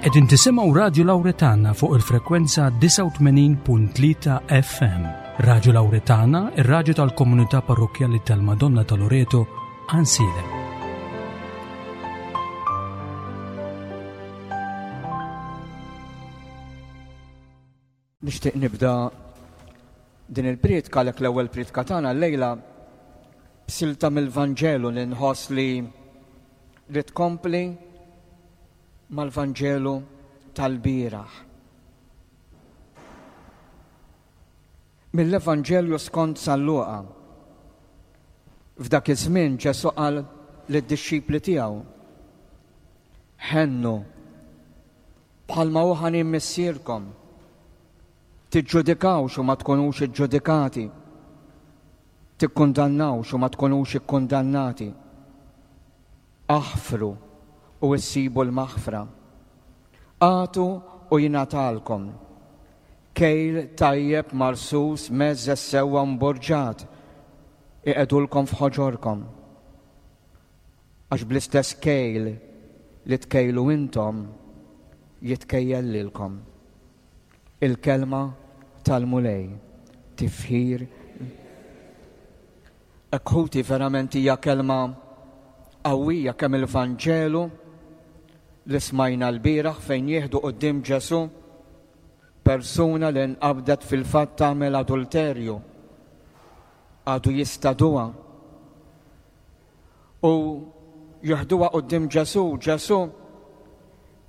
Qegħdin tisimgħu Radju Lawretana fuq il-frekwenza 89.3 FM. Radju Lawretana, ir-radju tal-komunità parrokkjali tal-Madonna ta' Loreto, Ansiedem. Nixtieq nibda din il-prietka għalhekk l-ewwel prietka tagħna llejla b'silta mill-Vanġelu li nħoss li li tkompli mal-Vanġelu tal-bieraħ. Mill-Evanġelju skont San Luqa. F'dak iż-żmien Ġesù qal lid-dixxipli tiegħu, Ħennu Bħalma hu ħanin Missierkom. Tiġġudikawx u ma tkunux iġġudikati. Tikkundannawx u ma tkunux ikkundannati. Aħfru u issibu l-maħfra. Agħtu u jingħatalkom. Kejl tajjeb marsus mgħeżżeż sewwa mburġat iqegħdulkom f'ħoġorkom. Għax bl-istess kejl li tkejlu intom, jitkejjel lilkom. Il-kelma tal-Mulej, tifħir. Hekk ħuti verament hija kelma qawwija kemm il-Vanġelu li smajna lbieraħ fejn jieħdu quddiem Ġesù persuna li nqabdet fil-fatt tagħmel adulterju. Għadu jistaduha U jeħduha quddiem Ġesù, Ġesù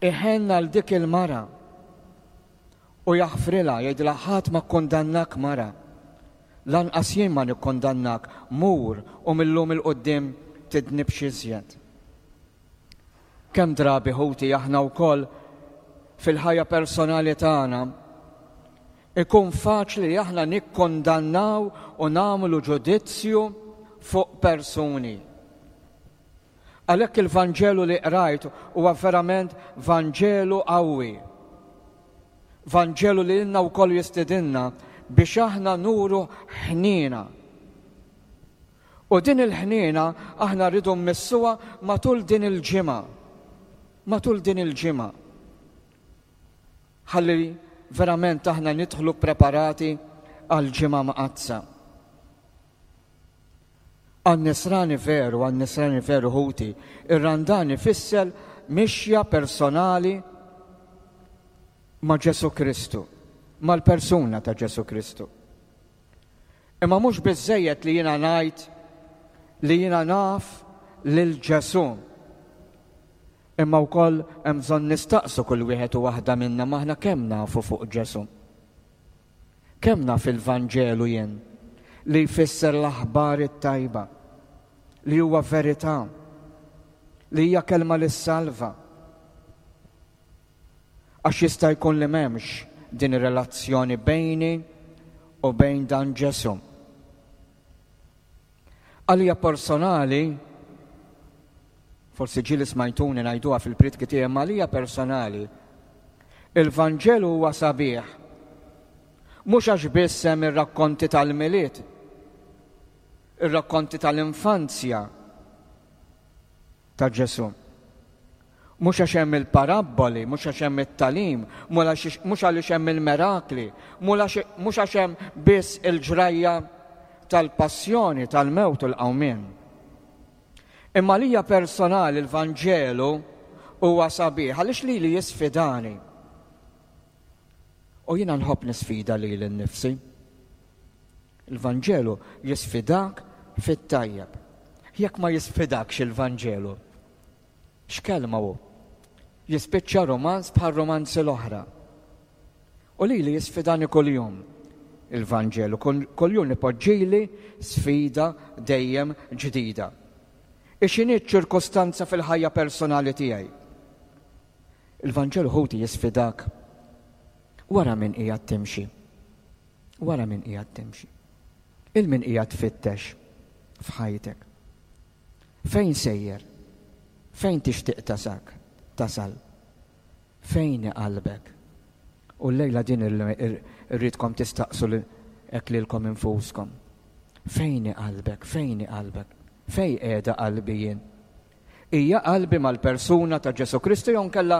iħenn għal dik il-mara u jaħfrilha, jgħidilha ħadd ma kkundannak mara. Lanqas jien ma nikkundannak, mur u mil-lum 'il quddiem tidnibx iżjed. Kemm drabi ħuti aħna wkoll fil-ħajja personali tagħna ikun faċli li aħna nikkondannaw u nagħmlu ġudizzju fuq persuni. Għalhekk il-Vanġelu li qrajt huwa verament Vanġelu qawwi. Vanġelu li lilna wkoll jistidinna biex aħna nuru ħniena. U din il-ħniena aħna rridu mmissuha matul din il-ġimgħa. Matul din il-ġimgħa. Ħalli verament aħna nidħlu preparati għal ġimgħa mqaddsa. Għan-nisrani veru, għan-nisrani veru ħuti, ir-Randan ifisser mixja personali ma' Ġesù Kristu, mal-persuna ta' Ġesù Kristu. Imma mhux biżżejjed li jiena ngħid li jiena naf lil Ġesù. Imma wkoll hemm bżonn nistaqsu kull wieħed u waħda minna m'aħna kemm nafu fuq Ġesù. Kemm naf il-Vanġelu jien li jfisser l-aħbar it-tajba, li huwa verità, li hija kelma li ssalva. Għax jista' jkun li m'hemmx din ir-relazzjoni bejni u bejn dan Ġesù. Għalija personali, forsi ġieli smajtuni ngħiduha fil-prietki tiegħi, imma għalija personali, il-Vanġelu huwa sabiħ. Mhux għax biss hemm ir-rakkonti tal-Milied, ir-rakkonti tal-infanzja, ta' Ġesù. Mhux għax hemm il-parabboli, mhux għax hemm it-tagħlim, mhux għaliex hemm il-merakli, mhux għax hemm biss il-ġrajja tal-passjoni, tal-mewt u l-qawmien. Imma lija personali l-Vanġelu huwa sabiħ għaliex lili jisfidani. U jiena nħobb nisfida lili nnifsi. Il-Vanġelu jisfidak fit-tajjeb. Jekk ma jisfidakx il-Vanġelu, x'kelma hu? Jispiċċa romanz bħal romanzi l-oħra. U lili jisfidani kuljum il-Vanġelu, kuljum ipoġġili sfida dejjem ġdida. Ix'inhi ċ-ċirkustanza fil-ħajja personali tiegħi? Il-Vanġelu ħuti jisfidak wara min qiegħed timxi. Wara min qiegħed timxi. Il min qiegħed tfittex f'ħajtek. Fejn sejjer? Fejn tixtieq tasak? Tasal? Fejn qalbek? U llejla din irridkom tistaqsu hekk lilkom infuskom. Fejn qalbek? Fejn qalbek? Fejn qiegħda qalbi jien? Hija qalbi mal-persuna ta' Ġesù Kristu jew nkella?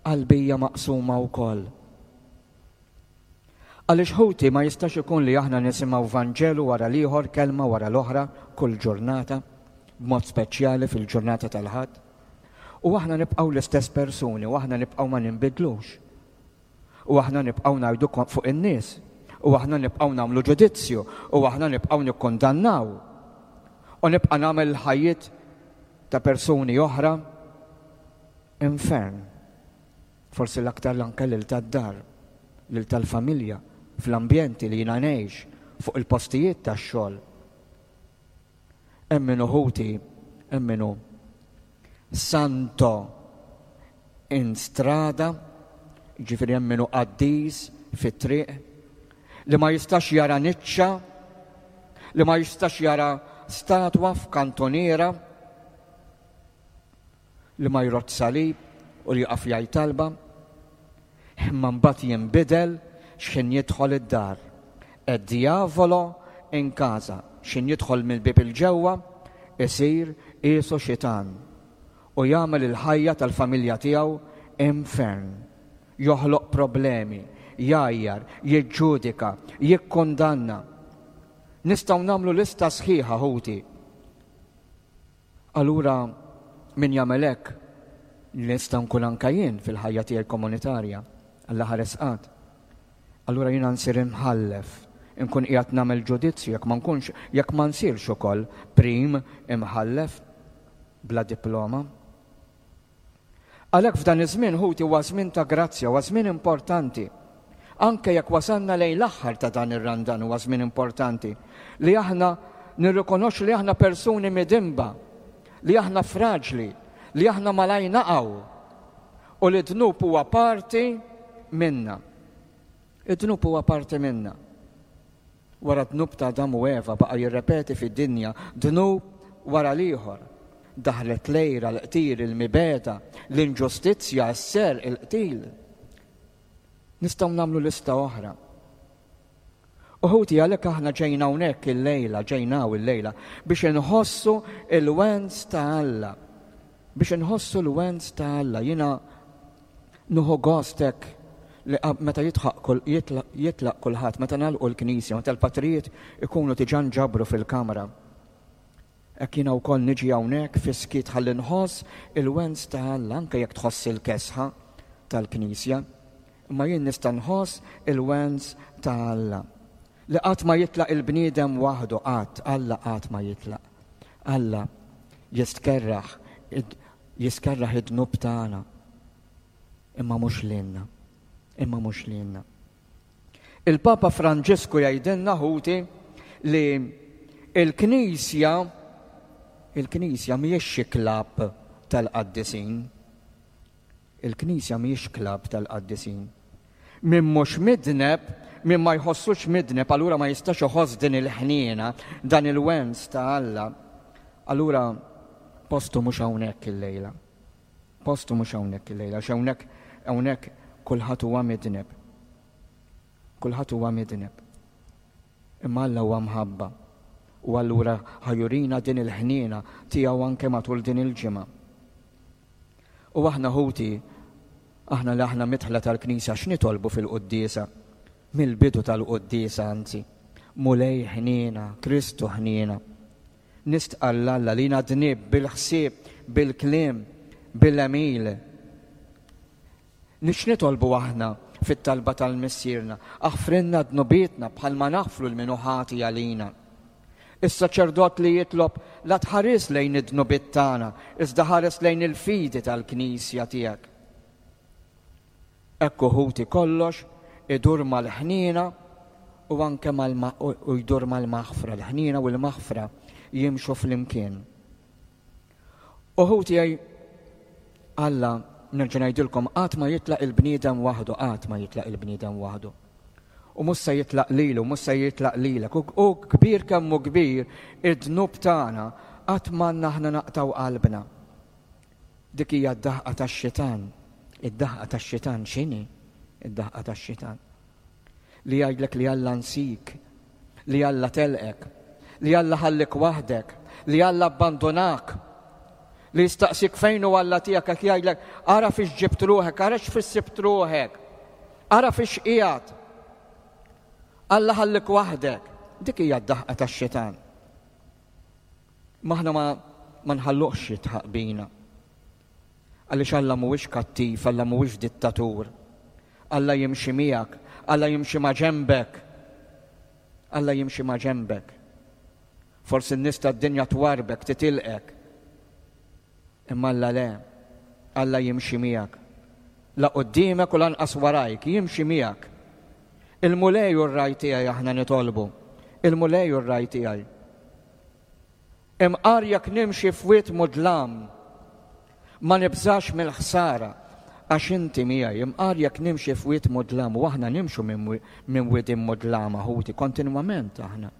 Qalbi hija maqsuma wkoll. Għaliex ħuti ma jistax ikun li aħna nisimgħu Vanġelu wara l-ieħor, kelma wara l-oħra, kull ġurnata, b'mod speċjali fil-ġurnata tal-Ħadd. U aħna nibqgħu l-istess persuni u aħna nibqgħu ma ninbidlux. U aħna nibqgħu ngħidu fuq in-nies. U aħna nibqgħu nagħmlu ġudizzju. U aħna nibqgħu nikkundannaw. U nibqa' nagħmel il-ħajjiet ta' persuni oħra infern. Forsi l-aktar anke lil tad-dar, lil tal-familja, fl-ambjenti li jiena ngħix, fuq il-postijiet tax-xogħol. Hemm min hu ħuti, hemm min hu santo in strada, ġifieri hemm min hu qaddis fit-triq, li ma jistax jara niċċa, li ma jistax jara statwa f'kantoniera, li ma jrodd salib u li jaqaf jgħid talba, imma mbagħad jinbidel x'ħin jidħol id-dar. E diavolo in casa, x'ħin jidħol mill-bieb il-ġewwa, isir qiesu xitan u jagħmel il-ħajja tal-familja tiegħu infern. Joħloq problemi, jgħajjar, jiġġudika, jikkundanna. Nistgħu nagħmlu lista sħiħa ħuti Allura min jagħmel hekk, li nista' nkun anke jien fil-ħajja tiegħi komunitarja, Alla ħares qatt. Allura jiena nsir imħallef, inkun qiegħed nagħmel ġudizzju jekk ma nkunx jekk ma nsirx ukoll prim imħallef bla diploma. Għalhekk f'dan iż-żmien ħuti huwa żmien ta' grazzja, huwa żmien importanti. Anke jekk wasalna lejn l-aħħar ta' dan ir-Randan huwa żmien importanti li aħna nirrikonoxxu li aħna persuni midinba, li aħna fraġli, li aħna malaj naqgħu u li d-dnub huwa parti minna. Id-dnub huwa parti minna. Wara d-dnub ta' Adam u Eva baqa' jirrepeti fid-dinja dnub wara l-ieħor. Daħlet l-għira, l-qtil, il-mibegħda, l-inġustizzja, is-serq, il-qtil. Nistgħu nagħmlu lista oħra. U ħuti għalhekk aħna ġejna hawnhekk illejla, ġejna hawn illejla biex inħossu il-wens ta' Alla. Biex inħossu l-wens ta' Alla. Jiena Nieħu gost hekk li meta jitħaq jitlaq kulħadd, meta nagħlqu l-knisja, meta l-patrijiet ikunu diġà nġabru fil-kamra. Hekk jiena wkoll niġi hawnhekk fis-skiet ħalli nħoss il-wens ta' Alla anke jekk tħoss il-kesħa tal-knisja. Imma jien nista' nħoss il-wens ta' Alla. Li qatt ma jitlaq il-bniedem waħdu qatt, Alla qatt ma jitlaq. Alla jistkerraħ jistkerraħ id-dnub tagħna. Imma mhux lilna. Imma mhux lilna. Il-Papa Franġisku jgħidilna ħuti li il-Knisja il-Knisja mhijiex xi klabb tal-qaddisin. Il-Knisja mhijiex klabb tal-qaddisin. Min mhux midneb, min ma jħossux midneb, allura ma jistax iħoss din il-ħniena, dan il-wens ta' Alla. Allura postu mhux hawnhekk illejla. Postu mhux hawnhekk illejla, għax hawnhekk hawnhekk kulħadd huwa midneb. Kulħadd huwa midneb. Imma Alla huwa mħabba. U allura ħajurina din il-ħniena tiegħu anke matul din il-ġimgħa. U aħna ħuti, aħna li aħna midħla tal-Knisja x'nitolbu fil-quddiesa? Mill-bidu tal-quddiesa anzi. Mulej ħniena, Kristu ħniena. Nistqarr 'l Alla li jiena dnibt bil-ħsieb, bil-kliem, bil-għemil. X'nitolbu aħna fit-talba tal-Missierna? Aħfrilna dnubietna bħalma naħfru 'l min hu ħati għalina. Is-saċerdot li jitlob la tħares lejn id-dnubiet tagħna, iżda ħares lejn il-fidi tal-Knisja tiegħek. Hekk ħuti kollox idur mal-ħniena u anke mal u jdur mal-maħfra, l-ħniena u l-maħfra jimxu flimkien. U ħuti Alla, nerġa' ngħidilkom, qatt ma jitlaq il-bniedem waħdu, qatt ma jitlaq il-bniedem waħdu. U mhux se jitlaq lilu, mhux se jitlaq lilek. U kbir kemm hu kbir id-dnub tagħna, qatt m'għandna aħna naqtgħu qalbna. Dik hija d-daħqa tax-xitan. Id-daħqa tax-xitan x'inhi? Id-daħqa tax-xitan. Li jgħidlek li Alla nsik, li Alla telqek, li Alla ħallik waħdek, li Alla abbandonak. Li jistaqsik fejn hu Alla tiegħek qed jgħidlek ara fiex ġibt ruħek, ara x'fiex sibt ruħek, ara fiex qiegħed. Alla ħallik waħdek. Dik hija d-daħqa tax-xitan. Maħna ma, ma nħalluhx jitħaq bina. Għaliex Alla mhuwiex kattiv, Alla mhuwiex dittatur. Alla jimxi miegħek, Alla jimxi ma' ġenbek. Alla jimxi ma' ġenbek. Forsi n-nies tad-dinja twarbek, titilqek. Imma Alla le. Alla jimxi miegħek. La quddiemek u lanqas warajk, jimxi miegħek. Il-Mulej hu r-ragħaj tiegħi aħna nitolbu. Il-Mulej hu r-ragħaj tiegħi. Imqar jekk nimxi f'wied mudlam, ma nibżax mill-ħsara, għax inti miegħi. Imqar jekk nimxi f'wied mudlam, u aħna nimxu minn widien mudlama, ħuti, kontinwament aħna.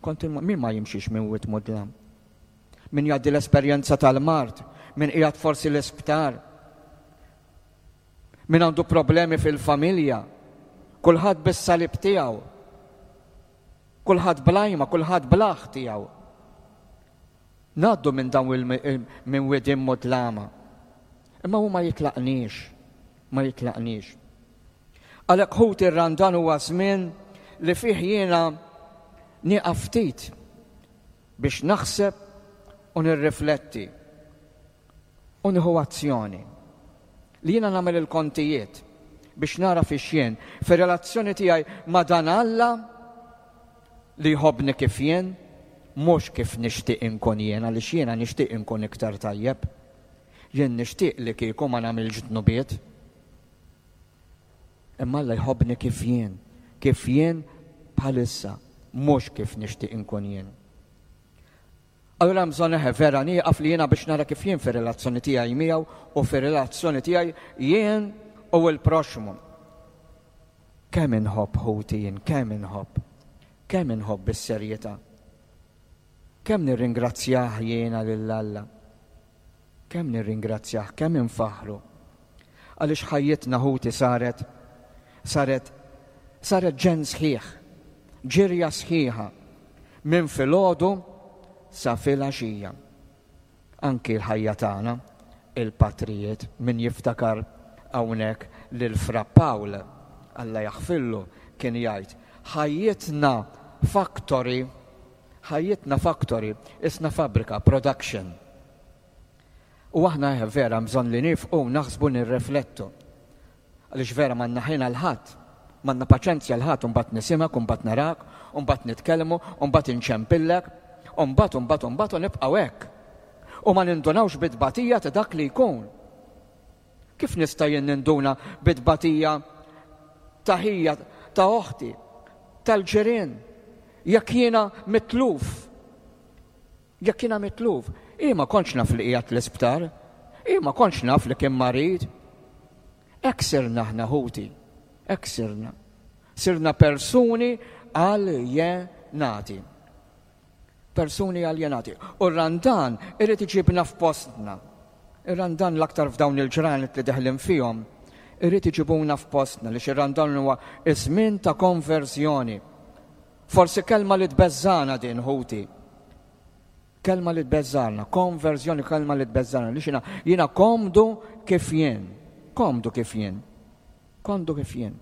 Kontinwa, min ma jimxix minn wied mudlam? Min jgħaddi l-esperjenza tal-mard, min qiegħed forsi l-isptar, min għandu problemi fil-familja, kulħadd bis-salib tiegħu. Kulħadd bl-għajma, kulħadd bl-aħ tiegħu. Ngħaddu minn dawn minn widien mudlama. Imma hu ma jitlaqniex, ma jitlaqniex. Għalhekk ħuti r-Randan huwa żmien li fih jiena nieqaf ftit biex naħseb u nirrifletti. U nieħu azzjoni. Li jiena nagħmel il-kontijiet biex nara fiex jien, fir-relazzjoni tiegħi ma' dan Alla li jħobbni kif jien, mhux kif nixtieq inkun jien għaliex jiena nixtieq inkun iktar tajjeb. Jien nixtieq li kieku ma nagħmilx dnubiet. Imma Alla jħobbni kif jien, kif jien bħalissa, mhux kif nixtieq inkun jien. Allura hemm bżonn eħe vera nieqaf li jiena biex nara kif jien fir-relazzjoni tiegħi miegħu u fir-relazzjoni tiegħi jien u l-proxxmu. Kemm inħobb ħuti jien, kemm inħobb. Kemm inħobb bis-serjetà. Kemm nirringrazzjah jiena lil Alla. Kemm nirringrazzjah, kemm infaħħru. Għaliex ħajjitna ħuti saret saret saret ġenn sħiħ, ġirja sħiħa minn filgħodu sa filgħaxija. Anki l-ħajja tagħna, il-patrijiet, min jiftakar hawnhekk lil Fra Pawl, Alla jaħfirlu, kien jgħid, ħajjitna factory Ħajjitna factory, isna fabbrika, production. U aħna eh, vera bżonn li nifqu, naħsbu nirreflettu. Għaliex vera m'għandna ħin għal ħadd, m'għandna paċenzja għal ħadd, imbagħad nisimgħek, imbagħad narak, imbagħad nitkellmu, imbagħad inċempillek, imbagħad imbagħad imbagħad u nibqgħu hekk. U ma nindunawx bit-tbatija ta' dak li jkun. Kif nista' jien ninduna bit-tbatija ta' ħija, ta' oħti, tal-ġirien, jekk jiena mitluf? Jekk jiena mitluf, hi ma kontx naf li qiegħed l-isptar, hi ma kontx naf li kien marid. Hekk sirna aħna ħuti, hekk sirna. Sirna persuni aljenati. Persuni aljenati. U r-Randan irid iġibna f'postna. Ir-Randan l-aktar f'dawn il-ġranet li deħlin fihom, irid iġibuna f'postna li ir-Randan huwa iż-żmien ta' konverżjoni. Forsi kelma li tbeżżana din ħuti. Kelma li tbeżżana, konverżjoni kelma li tbeżżana li xina jiena komdu kif jien. Komdu kif jien. Komdu kif jien.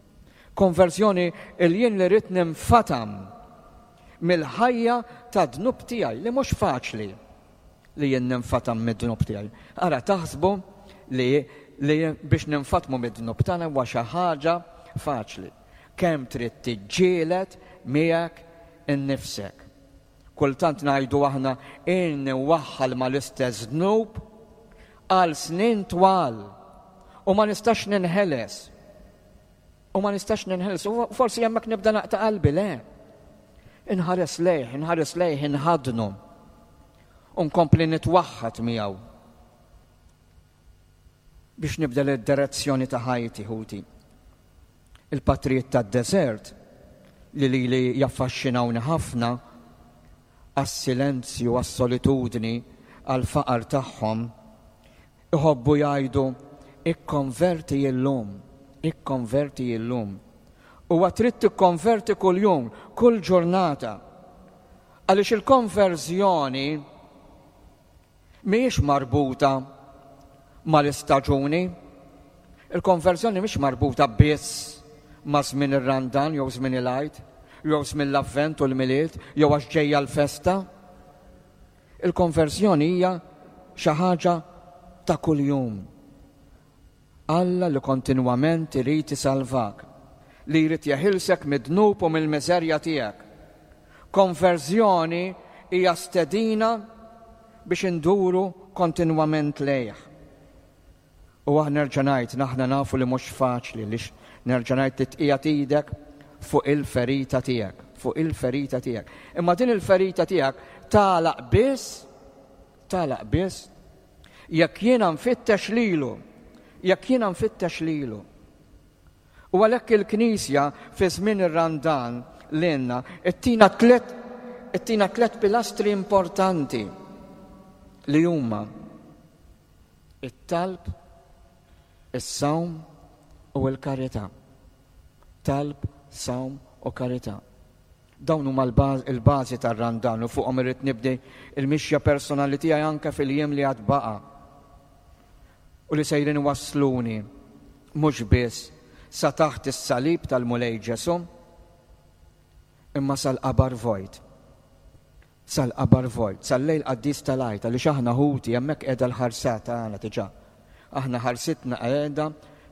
Konverżjoni il-jien li rrid ninfatam mill-ħajja ta' dnub tiegħi li mhux faċli li jien ninfatam mid-dnub tiegħi. Ara taħsbu li li biex ninfatmu mid-dnub tagħna huwa xi ħaġa faċli. Kemm trid tiġġieled miegħek innifsek. Kultant ngħidu aħna ilni nwaħħal mal-istess dnub għal snin twal u ma nistax ninħeles. U ma nistax ninħeles. U forsi hemmhekk nibda naqta' qalbi, le. Inħares lejh, inħares lejh, inħadnu. U nkompli nitwaħħad miegħu. Biex nibdel id-direzzjoni ta' ħajti, ħuti. Il-patrijiet tad-deżert li lili jaffaxxinawni ħafna għas-silenzju, għas-solitudni, għall-faqar tagħhom, iħobbu jgħidu ikkonverti illum, ikkonverti illum. Huwa trid tikkonverti kuljum, kull ġurnata. Għaliex il-konverżjoni. Mhijiex marbuta mal-istaġuni. Il-konverżjoni mhix marbuta biss ma' żmien ir-Randan jew żmien il-Għid, jew żmien l-Avvent u l-Milied, jew għax ġejja l-festa. Il-konverżjoni hija xi ħaġa ta' kuljum. Alla li kontinwament irid isalvak, li jrid jeħilsek mid-dnub u mill-miżerja tiegħek. Konverżjoni hija stedina biex induru kontinwament lejh. U aħna nerġa' ngħid, aħna nafu li mhux faċli li nerġa' ngħid li tqiegħed idek fuq il-ferita tiegħek, fuq il-ferita tiegħek. Imma din il-ferita tiegħek tagħlaq biss, tagħlaq biss jekk jiena nfittex lilu, jekk jiena nfittex lilu. U għalhekk il-Knisja fi żmien ir-Randan lilna ttina tlet ittina tlet pilastri importanti li huma it-talb, is-sawm u l-karità. Talb, sawm u karità. Dawn huma l-bażi tar-Randan u fuqhom irrid nibdi l-mixja personali tiegħi anke fil-jiem li għad baqa' u li sejrin iwassluni mhux biss sa taħt is-salib tal-Mulej Ġesù, imma sal-qabar vojt. Sal-qabar vojt, sal-lejl qaddis tal-Għid, għaliex aħna ħuti hemmhekk qiegħda l-ħarsa tagħna diġà. Aħna ħarsitna qiegħda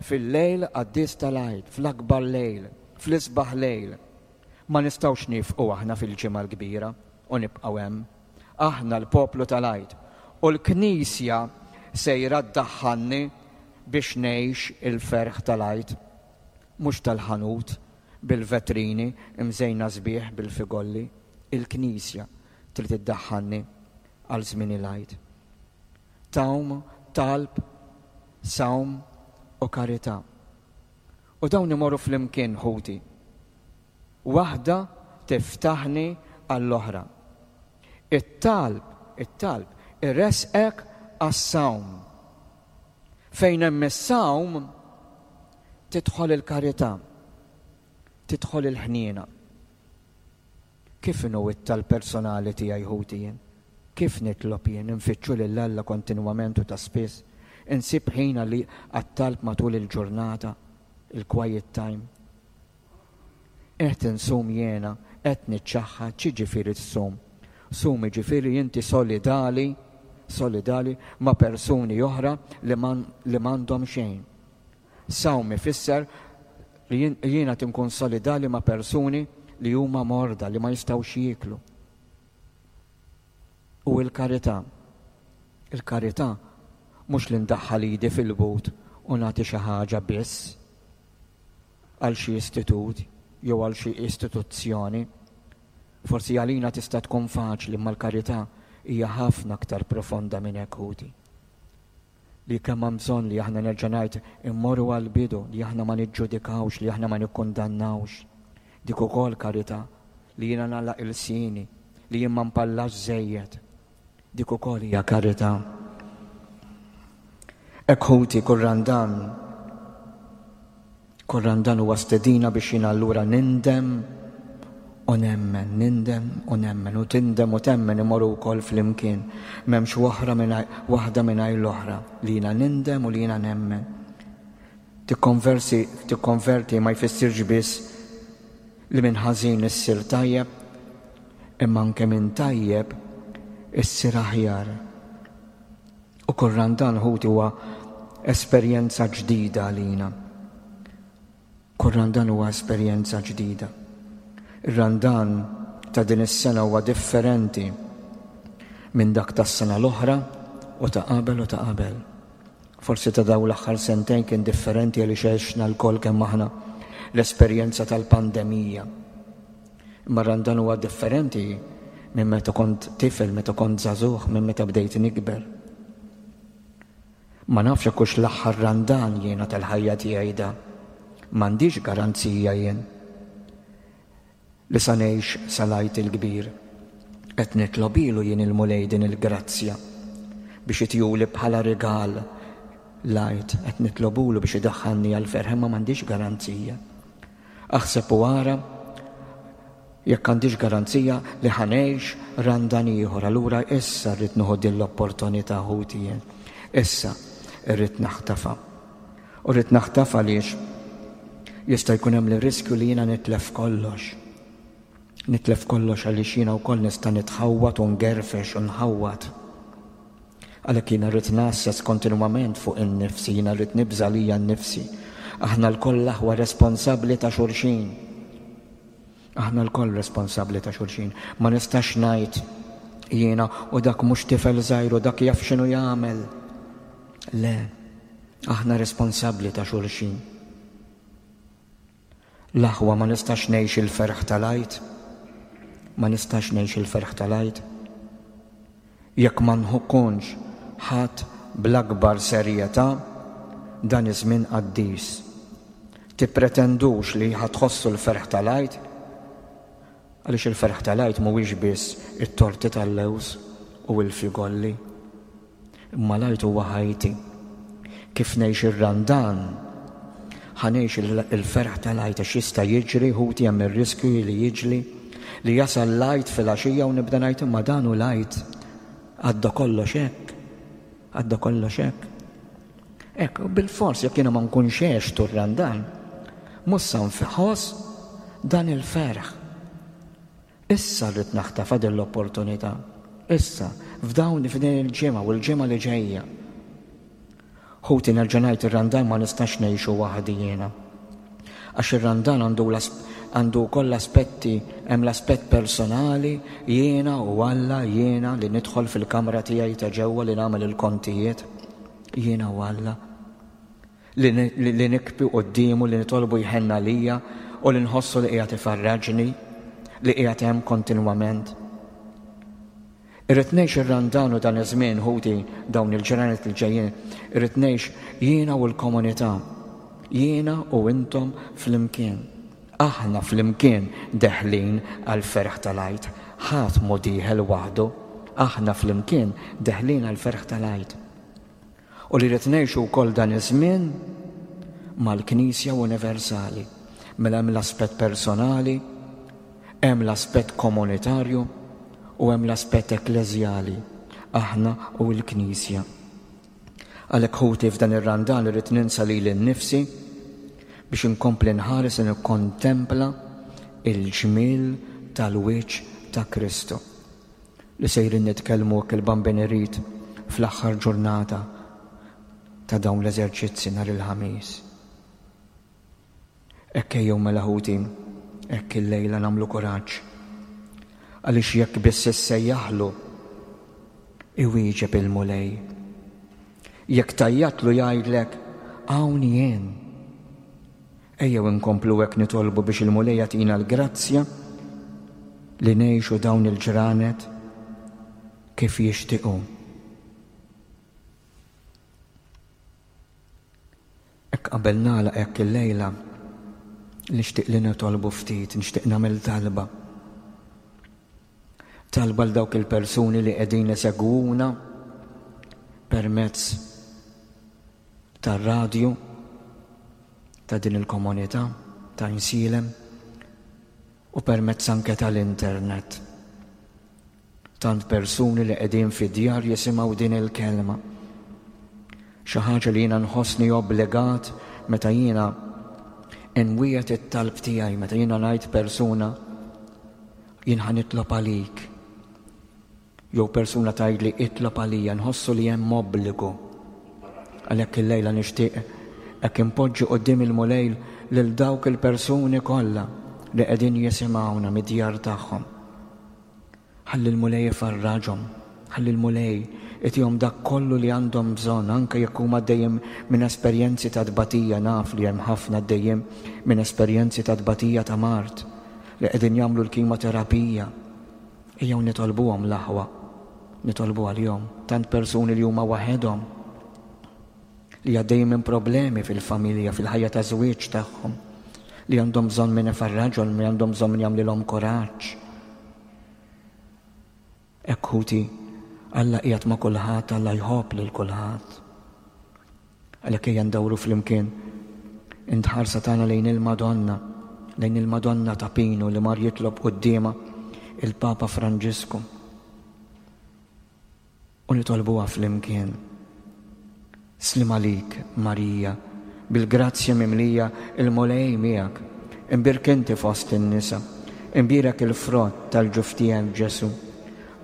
fil-lejl qaddis tal-Għid, fl-akbar lejl, fl-isbaħ lejl. Ma nistgħux niefqu aħna fil-Ġimgħa l-Kbira u nibqgħu hemm. Aħna l-poplu tal-Għid u l-Knisja sejra ddaħħalni biex ngħix il-ferħ tal-Għid, mhux tal-ħanut bil-vetrini mżejna sbieħ bil-figolli. Il-Knisja trid iddaħħalni għal żmien il-Għid. Tawm, talb, sawm u karità. U dawn imorru flimkien, ħuti. Waħda tiftaħni għall-oħra. It-talb, it-talb, iressqek għas-sawm. Fejn hemm is-sawm, tidħol il-karità, tidħol il-ħniena. Kif inhu it-talb personali tiegħi ħuti jien? Kif nitlob jien? Infittxu lil Alla kontinwament u ta' spiss? Insib ħin għal għat-talb matul il-ġurnata, il-quiet time? Qed insum jiena, qed niċċaħħad, x'jiġifieri ssum? Sum jiġifieri inti solidali, solidali ma' persuni oħra li m'għandhom xejn. Sawm ifisser li jiena qed inkun solidali ma' persuni li huma morda, li ma jistgħux jieklu. U l-karità. Il-karità mhux li ndaħħal idi fil-but u nagħti xi ħaġa biss għal xi istitut jew għal xi istituzzjoni. Forsi għalina tista' tkun faċli imma l-karità hija ħafna aktar profonda minn hekk ħuti. Li kemm hemm bżonn li aħna nerġa' ngħid immorru għall-bidu, li aħna ma niġġudikawx, li aħna ma nikkundannawx. Dik ukoll karità, li jiena nagħlaq ilsieni, li jien ma npallax żejjed. Dik ukoll hija karità. Hekk ħuti kull Randan, kull Randan huwa stedina biex jien allura nindem u nemmen, nindem u nemmen, u tindem u temmen imorru wkoll flimkien. M'hemmx waħra waħda mingħajr l-oħra, li jiena nindem u li jiena nemmen. Tikkonversi, tikkonverti ma jfissirx biss li minn ħażin issir tajjeb, imma anke minn tajjeb issir aħjar. U kull Randan ħuti huwa esperjenza ġdida għalina. Kull Randan huwa esperjenza ġdida. Ir-Randan ta' din is-sena huwa differenti minn dak tas-sena l-oħra u ta' qabel u ta' qabel. Forsi ta' dawn l-aħħar sentejn kien differenti għaliex għexna lkoll kemm aħna l-esperjenza tal-pandemija. Imma Randan huwa differenti minn meta kont tifel, meta kont żagħżugħ, minn meta bdejt nikber. Ma nafx jekk hux l-aħħar Randan jiena tal-ħajja tiegħi da. M'għandix garanzija jien li sa ngħix sal-Għid il-Kbir. Qed nitlobilu jien il-Mulej din il-grazzja biex itjuli bħala rigal l-Għid, qed nitlobulu biex idaħħalni għall-ferħ imma m'għandix garanzija. Aħseb u ara. Jekk għandix garanzija li ħa ngħix Randan ieħor, allura issa rrid nieħu din l-opportunità ħuti jien. Issa rrid naħtafha. U rrid naħtafha għaliex jista' jkun hemm l-riskju li jiena nitlef kollox. Nitlef kollox għaliex jiena wkoll nista' nitħawwad u ngerfex u nħawwad. Għalhekk jiena rrid ngħasses kontinwament fuq innifsi, jiena rrid nibża' lija nnifsi. Aħna lkoll l-aħwa responsabbli ta' xulxin. Aħna lkoll responsabbli ta' xulxin. Ma nistax ngħid jiena u dak mhux tifel żgħir u dak jaf x'inhu jagħmel. Le, aħna responsabbli ta' xulxin. L-aħwa ma nistax ngħix il-ferħ tal-Għid. Ma nistax ngħix il-ferħ tal-Għid. Jekk ma nkunx ħadt bl-akbar serjetà dan iż-żmien qaddis. Tippretendux li ħa tħossu l-ferħ tal-Għid, għaliex il-ferħ tal-Għid mhuwiex biss it-torti tal-lewż u l-figolli. Imma l-Għid huwa ħajti. Kif ngħix ir-Randan, ħa ngħix il-ferħ tal-Għid għax jista' jiġri, ħuti hemm ir-riskju li jiġri li jasal l-Għid filgħaxija u nibda ngħid imma dan hu l-Għid. Għadda kollox hekk. Għadda kollox hekk. Hekk, bilfors jekk jiena ma nkunx għextu r-Randan, mhux sa nħoss dan il-ferħ. Issa rrid naħtafha din l-opportunità. Issa, f'dawn f'din il-ġimgħa u l-ġimgħa li ġejja. Ħuti nerġa' ngħid ir-Randan ma nistax ngħixu waħdi jiena. Għax ir-Randan għandu għandu wkoll l-aspetti, hemm l-aspett personali, jiena u Alla, jiena li nidħol fil-kamra tiegħi ta' ġewwa li nagħmel il-kontijiet, jiena u Alla. Li, li, li nikbi quddiemu, li nitolbu jħenn għalija u li nħossu li qiegħed ifarraġni, li qiegħed hemm kontinwament. Irrid ngħix ir-Randan u dan iż-żmien ħuti dawn il-ġranet li ġejjin, irrid ngħix jiena u l-komunità, jiena u intom flimkien. Aħna flimkien deħlin għall-ferħ tal-Għid. Ħadd mhu dieħel waħdu. Aħna flimkien deħlin għall-ferħ tal-Għid. U li rrid ngħixu wkoll dan iż-żmien mal-Knisja Universali. Mela hemm l-aspett personali, hemm l-aspett komunitarju u hemm l-aspett ekkleżjali, aħna u l-Knisja. Għalhekk ħuti f'dan ir-Randan irrid ninsa lili nnifsi biex inkompli nħares u nikkontempla il-ġmiel tal-wiċċ ta' Kristu. Li sejrin nitkellmu hekk il-Bambin irid fl-aħħar ġurnata ta' dawn l-eżerċizzi nhar il-Ħamis. Hekk ejjew mela ħuti, hekk illejla nagħmlu kuraġġ. Għaliex jekk biss issejjaħlu, iwieġeb il-Mulej. Jekk tgħajjatlu jgħidlek, hawn jien. Ejjew inkomplu hekk nitolbu biex il-Mulej jagħtina l-grazzja li ngħixu dawn il-ġranet kif jixtieq hu. Hekk qabel nagħlaq hekk illejla nixtieq li nitolbu ftit, nixtieq nagħmel talba. Talba għal dawk il-persuni li qegħdin isegwuna permezz tar-radju ta' din il-komunità ta' Insilem u permezz anke tal-internet. Tant persuni li qegħdin fid-djar jisimgħu din il-kelma. Xi ħaġa li jiena nħossni obbligat meta jiena nwiegħed it-talb tiegħi, meta jiena ngħid persuna jien ħa nitlob għalik. Jew persuna tgħidli itlob għalija, nħossu li hemm obbligu. Għalhekk illejla nixtieq hekk inpoġġi quddiem il-Mulej lil dawk il-persuni kollha li qegħdin jisimgħuna mid-djar tagħhom. Ħalli l-Mulej ifarraġhom, ħalli l-Mulej itihom dak kollu li għandhom bżonn anke jekk huma għaddejjin minn esperjenzi ta' tbatija, naf li hemm ħafna għaddejjin minn esperjenzi ta' tbatija ta' mard li qegħdin jagħmlu l-kimoterapija. Ejjew nitolbuhom l-aħwa, nitolbu għalihom, tant persuni li huma waħedhom, li għaddejjin minn problemi fil-familja, fil-ħajja ta' żwieġ tagħhom, li għandhom bżonn min ifarraġhom, li għandhom bżonn min jagħmlilhom kuraġġ. Hekk ħuti, Alla qiegħed ma' kulħadd, Alla jħobb lil kulħadd. Għalhekk ejja ndawru flimkien intħarsa tagħna lejn il-Madonna. lejn il-Madonna ta' Pinu li mar jitlob quddiemha il-Papa Franġisku. U nitolbuha flimkien. Sliem għalik, Marija, bil-grazzja mimlija, il-Mulej miegħek. Imbierk inti fost in-nisa, imbierek il-frott tal-ġuf tiegħek Ġesù.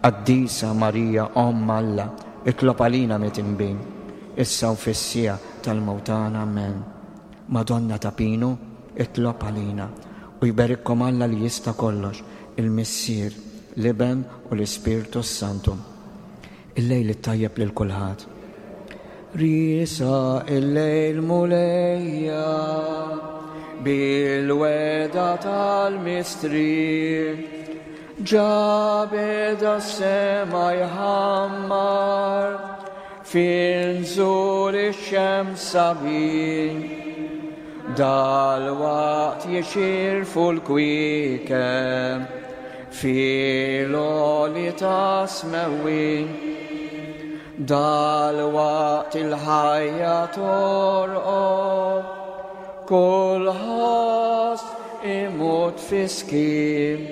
Qaddisa Marija, Omm Alla, itlob għalina mitinbin, issa u fis-siegħa tal-mewt tagħna. Amen. Madonna ta' Pinu, itlob għalina. U jberikkom Alla li jista' kollox, il-Missier, l-Iben u l-Ispirtu s-Santu. Il-lejl it-tajjeb lil kulħadd. Riesa il-lejl Mulejja bil-weda tal-mistrieħ ġa beda s-sema jħammar fil-nżul ix-xemx sabiħ. Dalwaqt jixirfu l-kwiekeb fil-għoli ta' smewwin. Dalwaqt il-ħajja torqod, kull ħoss imut fis-skiet.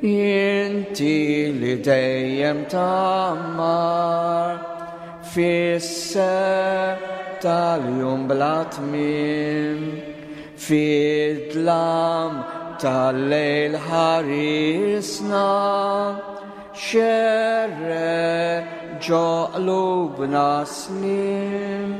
Inti li dejjem tgħammar fis-sebħ tal-jum bla tmiem, fid-dlam tal-lejl ħarisna, xerred ġo qlubna sliem.